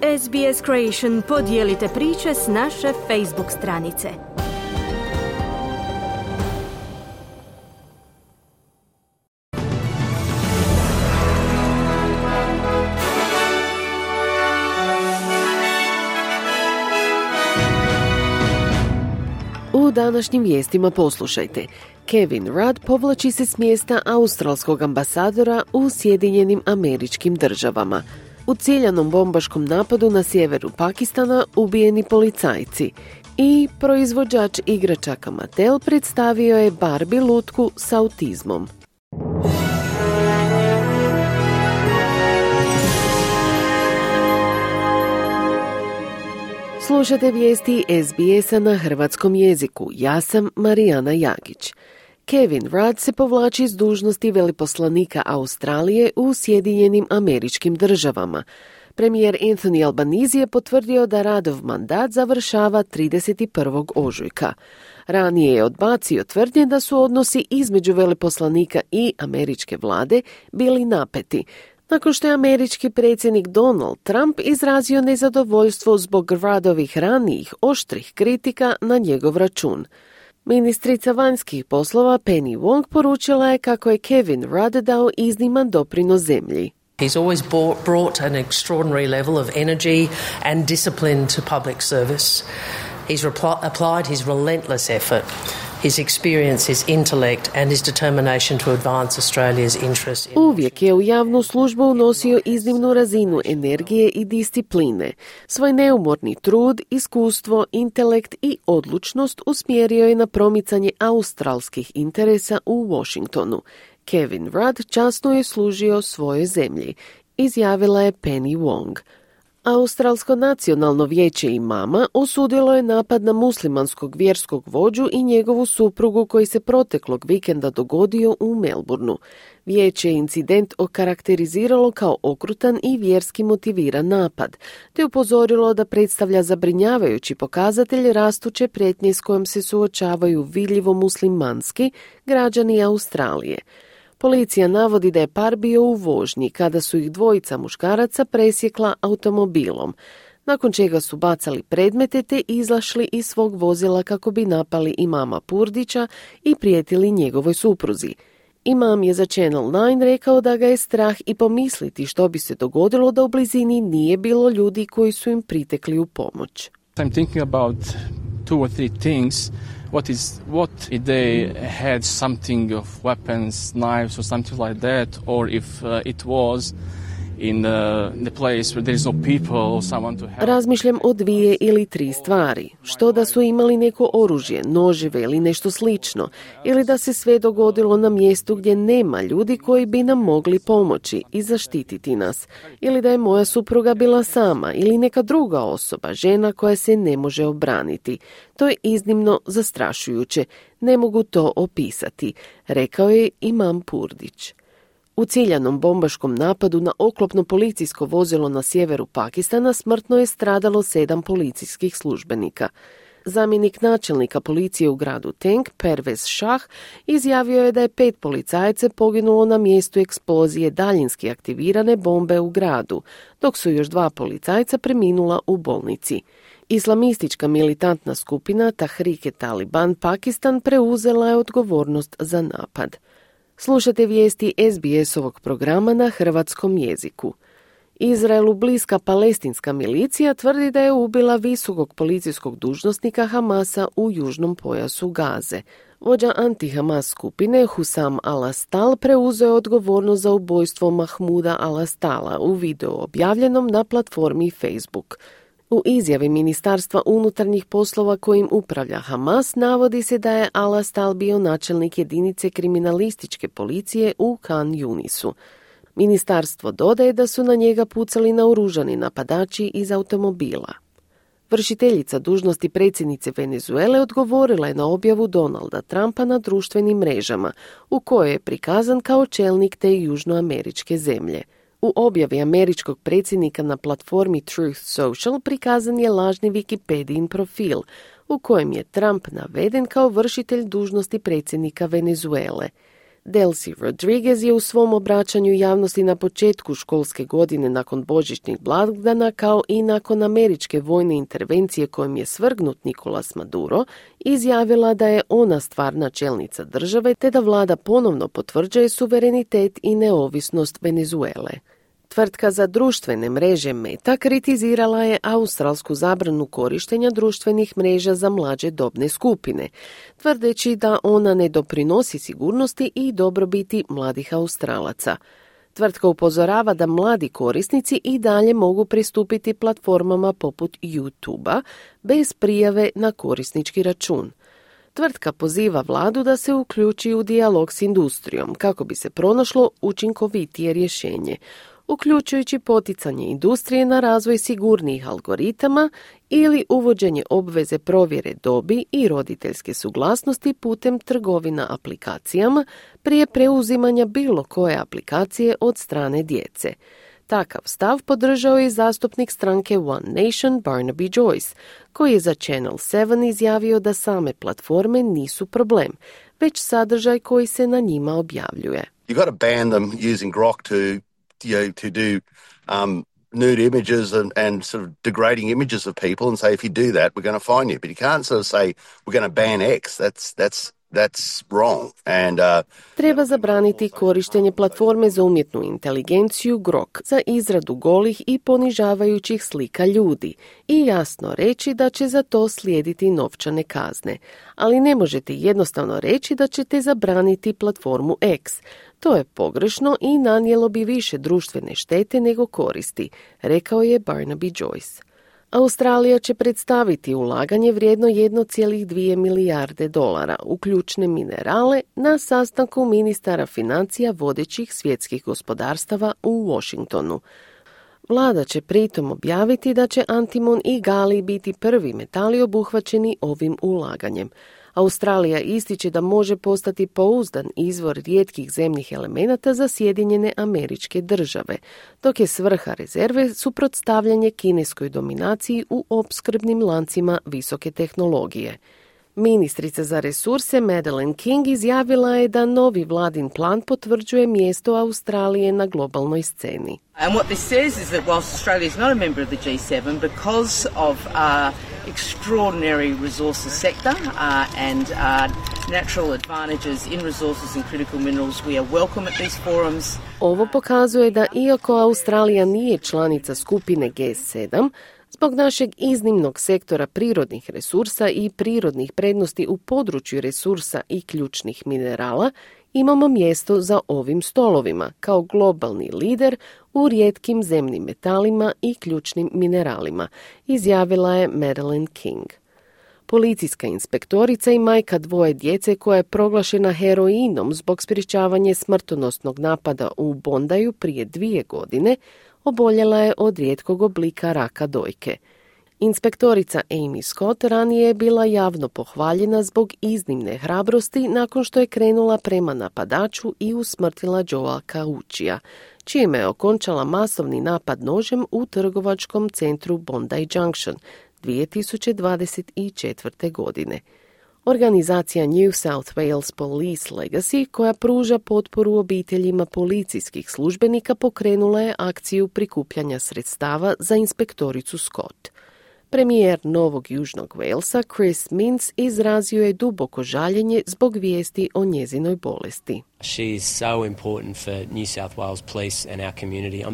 SBS Creation, podijelite priče s naše Facebook stranice. U današnjim vijestima poslušajte. Kevin Rudd povlači se s mjesta australskog ambasadora u Sjedinjenim Američkim Državama. U ciljanom bombaškom napadu na sjeveru Pakistana ubijeni policajci. I proizvođač igračaka Mattel predstavio je Barbie lutku s autizmom. Slušate vijesti SBS-a na hrvatskom jeziku. Ja sam Marijana Jagić. Kevin Rudd se povlači s dužnosti veleposlanika Australije u Sjedinjenim Američkim Državama. Premijer Anthony Albanese je potvrdio da Ruddov mandat završava 31. ožujka. Ranije je odbacio tvrdnje da su odnosi između veleposlanika i američke vlade bili napeti, nakon što je američki predsjednik Donald Trump izrazio nezadovoljstvo zbog Ruddovih ranijih oštrih kritika na njegov račun. Ministrica vanjskih poslova Penny Wong poručila je kako je Kevin Rudd dao izniman doprinos zemlji. He's always brought an extraordinary level of energy and discipline to public service. He's applied his relentless effort, his experience, his intellect and his determination to advance Australia's interests. Uvijek je u javnu službu unosio iznimnu razinu energije i discipline. Svoj neumorni trud, iskustvo, intelekt i odlučnost usmjerio je na promicanje australskih interesa u Washingtonu. Kevin Rudd časno je služio svojoj zemlji, izjavila je Penny Wong. Australsko nacionalno vijeće imama osudilo je napad na muslimanskog vjerskog vođu i njegovu suprugu koji se proteklog vikenda dogodio u Melbourneu. Vijeće je incident okarakteriziralo kao okrutan i vjerski motiviran napad, te upozorilo da predstavlja zabrinjavajući pokazatelj rastuće prijetnje s kojom se suočavaju vidljivo muslimanski građani Australije. Policija navodi da je par bio u vožnji kada su ih dvojica muškaraca presjekla automobilom, nakon čega su bacali predmete te izašli iz svog vozila kako bi napali imama Purdića i prijetili njegovoj supruzi. Imam je za Channel 9 rekao da ga je strah i pomisliti što bi se dogodilo da u blizini nije bilo ljudi koji su im pritekli u pomoć. I'm thinking about 2 or 3 things. What if they had something of weapons, knives or something like that, or if it was in the place where there is no people or someone to help. Razmišljam o 2 ili 3 stvari. Što da su imali neko oružje, noževe ili nešto slično, ili da se sve dogodilo na mjestu gdje nema ljudi koji bi nam mogli pomoći i zaštititi nas, ili da je moja supruga bila sama ili neka druga osoba, žena koja se ne može obraniti. To je iznimno zastrašujuće. Ne mogu to opisati, rekao je imam Purdić. U ciljanom bombaškom napadu na oklopno policijsko vozilo na sjeveru Pakistana smrtno je stradalo 7 policijskih službenika. Zamjenik načelnika policije u gradu Tank, Pervez Shah, izjavio je da je 5 policajaca poginulo na mjestu eksplozije daljinski aktivirane bombe u gradu, dok su još 2 policajca preminula u bolnici. Islamistička militantna skupina Tehrik-e-Taliban Pakistan preuzela je odgovornost za napad. Slušate vijesti SBS-ovog programa na hrvatskom jeziku. Izraelu bliska palestinska milicija tvrdi da je ubila visokog policijskog dužnosnika Hamasa u južnom pojasu Gaze. Vođa anti-Hamas skupine Husam al-Astal preuzeo je odgovornost za ubojstvo Mahmuda al-Astala u videu objavljenom na platformi Facebook. U izjavi Ministarstva unutarnjih poslova kojim upravlja Hamas navodi se da je al-Astal bio načelnik jedinice kriminalističke policije u Khan Yunisu. Ministarstvo dodaje da su na njega pucali naoružani napadači iz automobila. Vršiteljica dužnosti predsjednice Venezuele odgovorila je na objavu Donalda Trumpa na društvenim mrežama, u kojoj je prikazan kao čelnik te južnoameričke zemlje. U objavi američkog predsjednika na platformi Truth Social prikazan je lažni Wikipedijin profil, u kojem je Trump naveden kao vršitelj dužnosti predsjednika Venezuele. Delcy Rodriguez je u svom obraćanju javnosti na početku školske godine nakon božićnih blagdana, kao i nakon američke vojne intervencije kojom je svrgnut Nicolas Maduro, izjavila da je ona stvarna čelnica države te da vlada ponovno potvrđuje suverenitet i neovisnost Venezuele. Tvrtka za društvene mreže Meta kritizirala je australsku zabranu korištenja društvenih mreža za mlađe dobne skupine, tvrdeći da ona ne doprinosi sigurnosti i dobrobiti mladih Australaca. Tvrtka upozorava da mladi korisnici i dalje mogu pristupiti platformama poput YouTube-a bez prijave na korisnički račun. Tvrtka poziva vladu da se uključi u dijalog s industrijom kako bi se pronašlo učinkovitije rješenje, uključujući poticanje industrije na razvoj sigurnijih algoritama ili uvođenje obveze provjere dobi i roditeljske suglasnosti putem trgovina aplikacijama prije preuzimanja bilo koje aplikacije od strane djece. Takav stav podržao je zastupnik stranke One Nation Barnaby Joyce, koji je za Channel 7 izjavio da same platforme nisu problem, već sadržaj koji se na njima objavljuje. You got to ban them using Grok to do nude images and sort of degrading images of people and say, if you do that, we're going to fine you. But you can't sort of say, we're going to ban X. That's wrong. And treba zabraniti korištenje platforme za umjetnu inteligenciju Grok za izradu golih i ponižavajućih slika ljudi i jasno reći da će za to slijediti novčane kazne. Ali ne možete jednostavno reći da ćete zabraniti platformu X. To je pogrešno i nanijelo bi više društvene štete nego koristi, rekao je Barnaby Joyce. Australija će predstaviti ulaganje vrijedno 1,2 milijarde dolara u ključne minerale na sastanku ministara financija vodećih svjetskih gospodarstava u Washingtonu. Vlada će pritom objaviti da će antimon i galij biti prvi metali obuhvaćeni ovim ulaganjem. Australija ističe da može postati pouzdan izvor rijetkih zemnih elemenata za Sjedinjene Američke Države, dok je svrha rezerve suprotstavljanje kineskoj dominaciji u opskrbnim lancima visoke tehnologije. Ministrica za resurse Madeleine King izjavila je da novi vladin plan potvrđuje mjesto Australije na globalnoj sceni. And what this says is that whilst Australia is not a member of the G7, because of extraordinary resources sector and natural advantages in resources and critical minerals, we are welcome at these forums. Ovo pokazuje da iako Australija nije članica skupine G7, zbog našeg iznimnog sektora prirodnih resursa i prirodnih prednosti u području resursa i ključnih minerala, imamo mjesto za ovim stolovima kao globalni lider u rijetkim zemnim metalima i ključnim mineralima, izjavila je Madeleine King. Policijska inspektorica i majka dvoje djece koja je proglašena heroinom zbog sprječavanja smrtonosnog napada u Bondaju prije 2 godine, oboljela je od rijetkog oblika raka dojke. Inspektorica Amy Scott ranije je bila javno pohvaljena zbog iznimne hrabrosti nakon što je krenula prema napadaču i usmrtila Joea Cauchija, čime je okončala masovni napad nožem u trgovačkom centru Bondi Junction 2024. godine. Organizacija New South Wales Police Legacy, koja pruža potporu obiteljima policijskih službenika, pokrenula je akciju prikupljanja sredstava za inspektoricu Scott. Premijer Novog Južnog Walesa Chris Minns izrazio je duboko žaljenje zbog vijesti o njezinoj bolesti. She is so important for New South Wales Police and our community.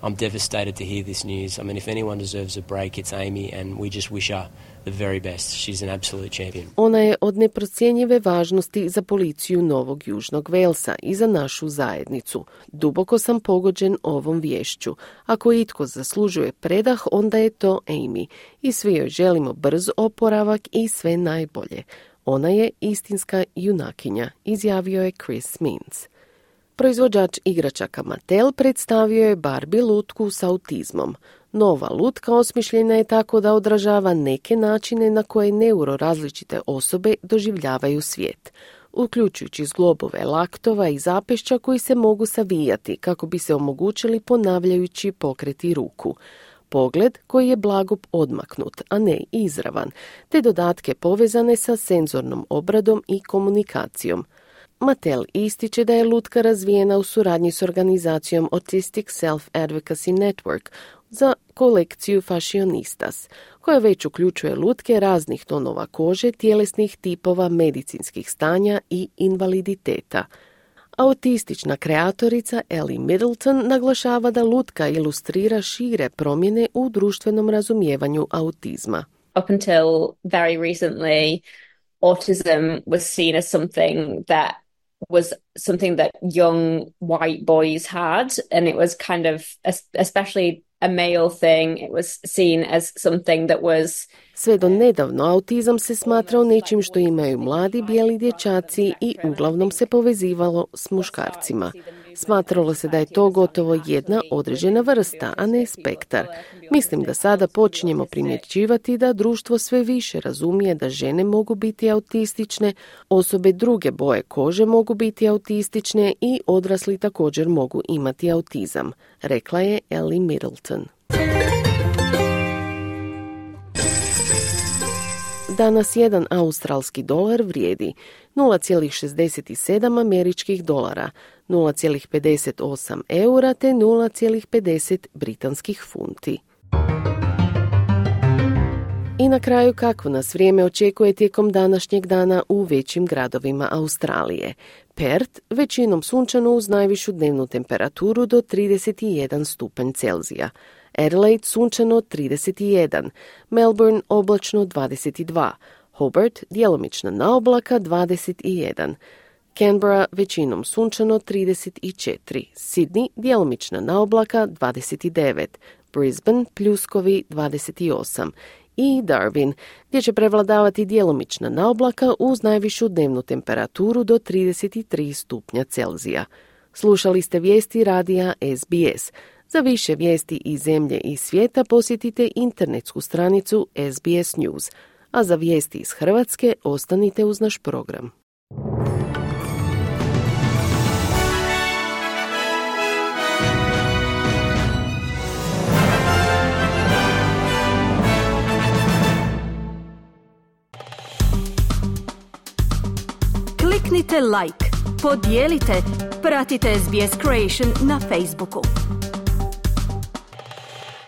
I'm devastated to hear this news. I mean, if anyone deserves a break, it's Amy, and we just wish her the very best. She's an absolute champion. Ona je od neprocjenjive važnosti za policiju Novog Južnog Walesa i za našu zajednicu. Duboko sam pogođen ovom viješću. Ako itko zaslužuje predah, onda je to Amy. I svi joj želimo brz oporavak i sve najbolje. Ona je istinska junakinja, izjavio je Chris Minns. Proizvođač igračaka Mattel predstavio je Barbie lutku s autizmom. Nova lutka osmišljena je tako da odražava neke načine na koje neurorazličite osobe doživljavaju svijet, uključujući zglobove laktova i zapešća koji se mogu savijati kako bi se omogućili ponavljajući pokreti ruku. Pogled koji je blago odmaknut, a ne izravan, te dodatke povezane sa senzornom obradom i komunikacijom. Mattel ističe da je lutka razvijena u suradnji s organizacijom Autistic Self-Advocacy Network za kolekciju Fashionistas, koja već uključuje lutke raznih tonova kože, tjelesnih tipova, medicinskih stanja i invaliditeta. Autistična kreatorica Ellie Middleton naglašava da lutka ilustrira šire promjene u društvenom razumijevanju autizma. Up until very recently, autism was seen as something that young white boys had, and it was kind of, especially a male thing, it was seen as something that was... Sve do nedavno autizam se smatrao nečim što imaju mladi bijeli dječaci i uglavnom se povezivalo s muškarcima. Smatralo se da je to gotovo jedna određena vrsta, a ne spektar. Mislim da sada počinjemo primjećivati da društvo sve više razumije da žene mogu biti autistične, osobe druge boje kože mogu biti autistične i odrasli također mogu imati autizam, rekla je Ellie Middleton. Danas jedan australski dolar vrijedi 0,67 američkih dolara, 0,58 eura te 0,50 britanskih funti. I na kraju kako nas vrijeme očekuje tijekom današnjeg dana u većim gradovima Australije. Perth većinom sunčano uz najvišu dnevnu temperaturu do 31 stupanj Celzija. Adelaide sunčano 31, Melbourne oblačno 22, Hobart djelomična naoblaka 21, Canberra većinom sunčano 34, Sydney djelomična naoblaka 29, Brisbane pljuskovi 28 i Darwin, gdje će prevladavati djelomična naoblaka uz najvišu dnevnu temperaturu do 33 stupnja Celzija. Slušali ste vijesti radija SBS. Za više vijesti iz zemlje i svijeta posjetite internetsku stranicu SBS News, a za vijesti iz Hrvatske ostanite uz naš program. Kliknite like, podijelite, pratite SBS Creation na Facebooku.